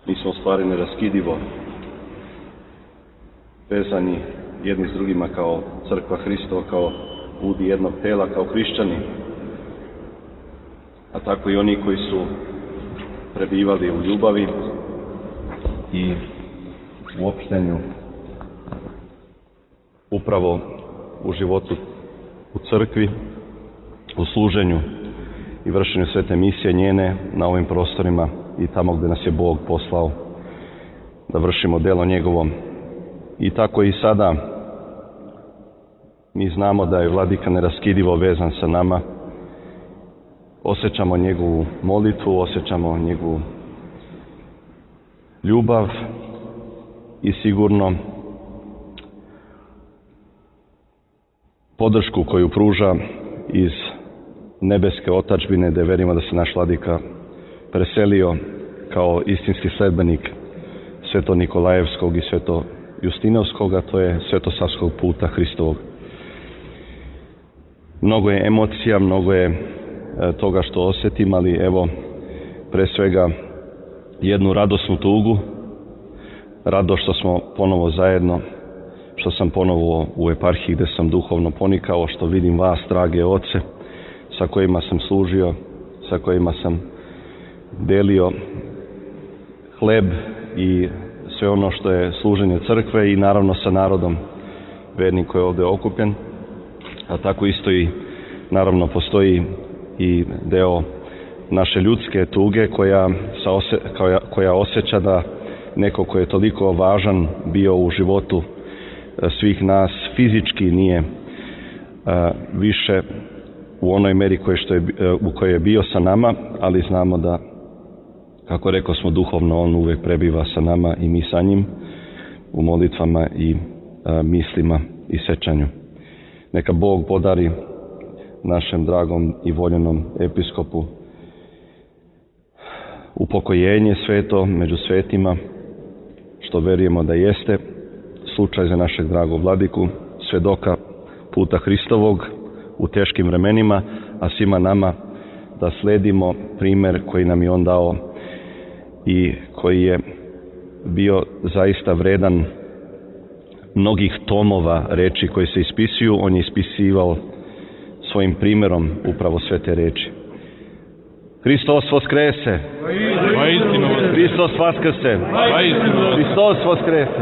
Mi smo u stvari neraskidivo vezani jedni s drugima kao crkva Hristova, kao ljudi jednog tela, kao hrišćani, a tako i oni koji su prebivali u ljubavi i u opštenju upravo u životu u crkvi, u služenju i vršenju svete misije njene na ovim prostorima i tamo gdje nas je Bog poslao da vršimo delo njegovo. I tako i sada mi znamo da je Vladika neraskidivo vezan sa nama. Osjećamo njegovu molitvu, osjećamo njegovu ljubav i sigurno podršku koju pruža iz nebeske otadžbine, da verimo da se naš Vladika preselio kao istinski sledbenik Sveto Nikolajevskog i Sveto Justinovskog, a to je svetosavskog puta Hristovog. Mnogo je emocija, mnogo je toga što osjetim, ali evo pre svega jednu radosnu tugu, rado što smo ponovo zajedno, što sam ponovo u eparhiji gdje sam duhovno ponikao, što vidim vas, drage oce, sa kojima sam služio, sa kojima sam delio hleb i sve ono što je služenje crkve i naravno sa narodom vernim koji je ovdje okupljen, a tako isto i naravno postoji i deo naše ljudske tuge koja osjeća da neko ko je toliko važan bio u životu svih nas fizički nije više u onoj meri u kojoj je bio sa nama, ali znamo da, kako rekao smo, duhovno on uvijek prebiva sa nama i mi sa njim u molitvama i mislima i sećanju. Neka Bog podari našem dragom i voljenom episkopu upokojenje sveto među svetima, što verujemo da jeste slučaj za našeg dragog Vladiku, svedoka puta Hristovog u teškim vremenima, a svima nama da sledimo primjer koji nam je on dao i koji je bio zaista vredan mnogih tomova reči koje se ispisuju. On je ispisivao svojim primjerom upravo sve te reči. Hristos voskrese! Hristos vaskrse! Hristos voskrese!